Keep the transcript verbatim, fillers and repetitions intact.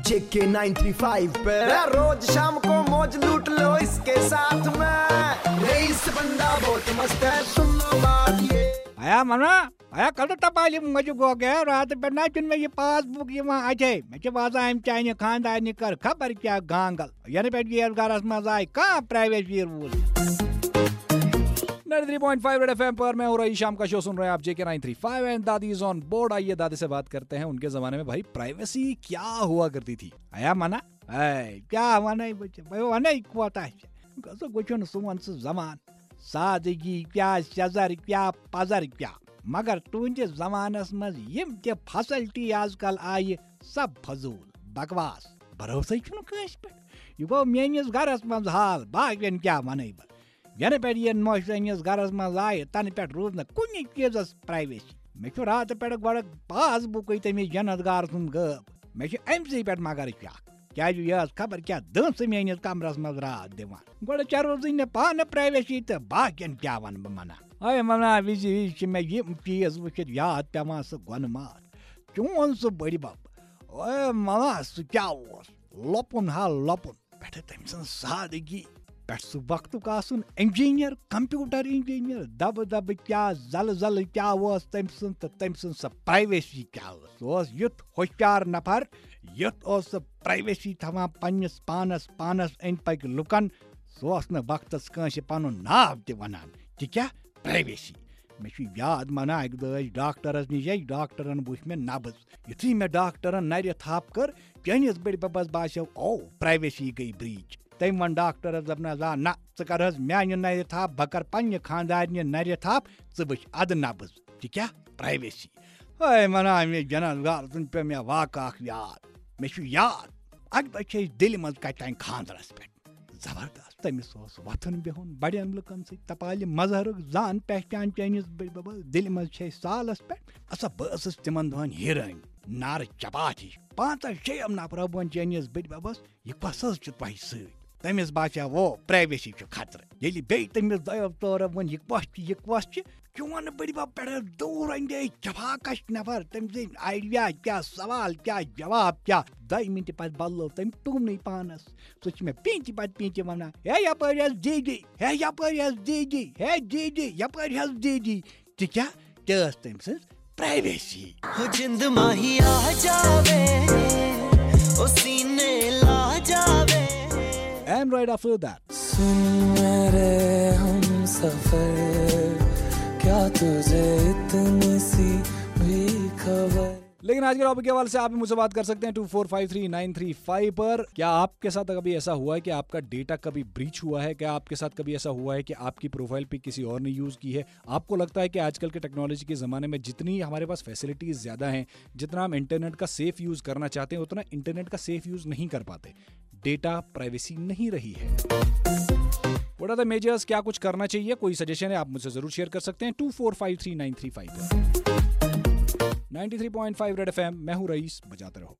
JK nine three five पे रोज शाम को मौज लूट लो इसके साथ में। रईस बंदा बहुत मस्त है, सुन लो बात ये। आया मना आया कल तो तपाली मुझे गो गया रात पे ना चुन में ये पासबुक ये वहाँ आ जाए मैं जब आजा हम चाइने खानदानी कर खबर क्या गांगल यानी पे ये गरस मजा आए कहाँ प्राइवेट ये rule. Ninety three point five red FM पर मैं हूँ रईस शाम का शो सुन रहे हैं आप JK nine three five and दादी इज ऑन बोर्ड। आइए दादी से बात करते हैं उनके जमाने में भाई प्राइवेसी क्या हुआ करती थी। आया मना ऐ क्या वने बच्चे भाई वने कोता है कसो कुछ सुन सु जमान सादगी क्या शजर क्या पजर क्या मगर तुंदे जमानस मज यम ते फैसिलिटी आजकल आय सब फजूल बकवास भरोसे छुन कांस पे। यह गो मेनिस गरस मज हाल बाकियन क्या वने बह यन पे ये मोशरनिस गरस मज आय तन पे रूज न कुन चीजस प्राइवेसी। मे छु रात पे गोड़ पासबुक तमिस जन्नत गार सुन गब मे छु अमसी पे मगर शक क्या यह खबर क्या दस मेनिस कमरस मज रात दिवान गोड़ चे रोज न पान प्राइवेसी तो बाकियन क्या वन बह मना। अय मना विजि विजि मे यम चीज वुचित याद पेवान सह गोन मात चोन सह बड़ बब। अय मना सह क्या ओस लपुन हा लपुन पे तम सज सादगी पे सह वक्तुक आसन इंजीनियर कंप्यूटर इंजीनियर दब दब क्या जल जल क्या ओस तम सज तो तम सज सह प्राइवेसी क्या ओस। सह ओस युथ होशियार नफर युथ ओस सह प्राइवेसी थवान पन्नस पानस पानस अंद पक लुकन। सह ओस न वक्तस कांसे पनुन नाव ते वनान ते क्या प्राइवेसी। मे छु याद मना अक दह डॉक्टरस निश डॉक्टरन वुच मे नब्ज युथुय मे डॉक्टरन नर थप कर चनिस बड़ बबस बासेव ओ प्राइवेसी गई ब्रीच। तम वन डॉक्टरस दपना जा ना च कर हज म्यान नर थप बह कर पन्ने खानदारन नर थप च वुच अद नब्ज ते क्या प्राइवेसी। है मना मे जन्नत गार सुन पे मे वाकह अख याद मे छु याद अक दह छे दिल मज कत तान खानदरस पे जबरदस्त तमिस ओस वथन बिहुन बड़न लुकन सत तपالِ مظہرُک زان پہچان چٲنِس بٕڈِ بَبَس دِلہِ منٛز چھے سالس پٮ۪ٹھ۔ اسا بہٕ ٲسٕس تِمن دۄہن ہیرٲنۍ نارٕ چپاتھ ہِش پانٛژن شیٚیو نفرو ووٚن چٲنِس بٕڈِ بَبَس یہِ کۄس حظ چھِ تۄہہِ سۭتۍ؟ تٔمِس باسیٛاو privacy چھُ خطرٕ۔ ییٚلہِ بیٚیہِ تٔمِس دۄیو ژورو ووٚن یہِ کۄس چھِ یہِ کۄس چھِ؟ چون بٕڈِ بَب پٮ۪ٹھٕ دوٗر اندیش جفاکش نفر تٔمۍ سٕنٛدۍ idea کیٛاہ سوال کیٛاہ جواب کیٛاہ؟ دۄیہِ مِنٹہِ پتہٕ بدلو تٔمۍ ٹوٗنٕے پانس۔ سُہ چھُ مےٚ پیٖنتہِ پتہٕ پیٖنتہِ ونان ہے یپٲرۍ حظ دیٖدی ہے یپٲرۍ حظ دیٖدی ہے دیٖدی یپٲرۍ حظ دیٖدی۔ تہِ کیٛاہ تہِ ٲس تٔمۍ سٕنٛز privacy۔ ہو جند ماہی آ جاوے او سینے لا جاوے۔ And right after that سن میرے ہم سفر کیا تجھے اتنی سی بھی خبر؟ लेकिन आज के टॉपिक के हवाले से आप भी मुझसे बात कर सकते हैं two four five three nine three five पर। क्या आपके साथ कभी ऐसा हुआ है कि आपका डेटा कभी ब्रीच हुआ है? क्या आपके साथ कभी ऐसा हुआ है कि आपकी प्रोफाइल पे किसी और ने यूज़ की है? आपको लगता है कि आजकल के टेक्नोलॉजी के ज़माने में जितनी हमारे पास फैसिलिटीज़ ज़्यादा हैं, जितना हम इंटरनेट का सेफ यूज़ करना चाहते हैं उतना इंटरनेट का सेफ यूज़ नहीं कर पाते। डेटा प्राइवेसी नहीं रही है। What are the measures? क्या कुछ करना चाहिए? कोई सजेशन है आप मुझसे ज़रूर शेयर कर सकते हैं two four five three nine three five पर। Ninety three point five red FM, मैं हूँ रईस, बजाते रहो।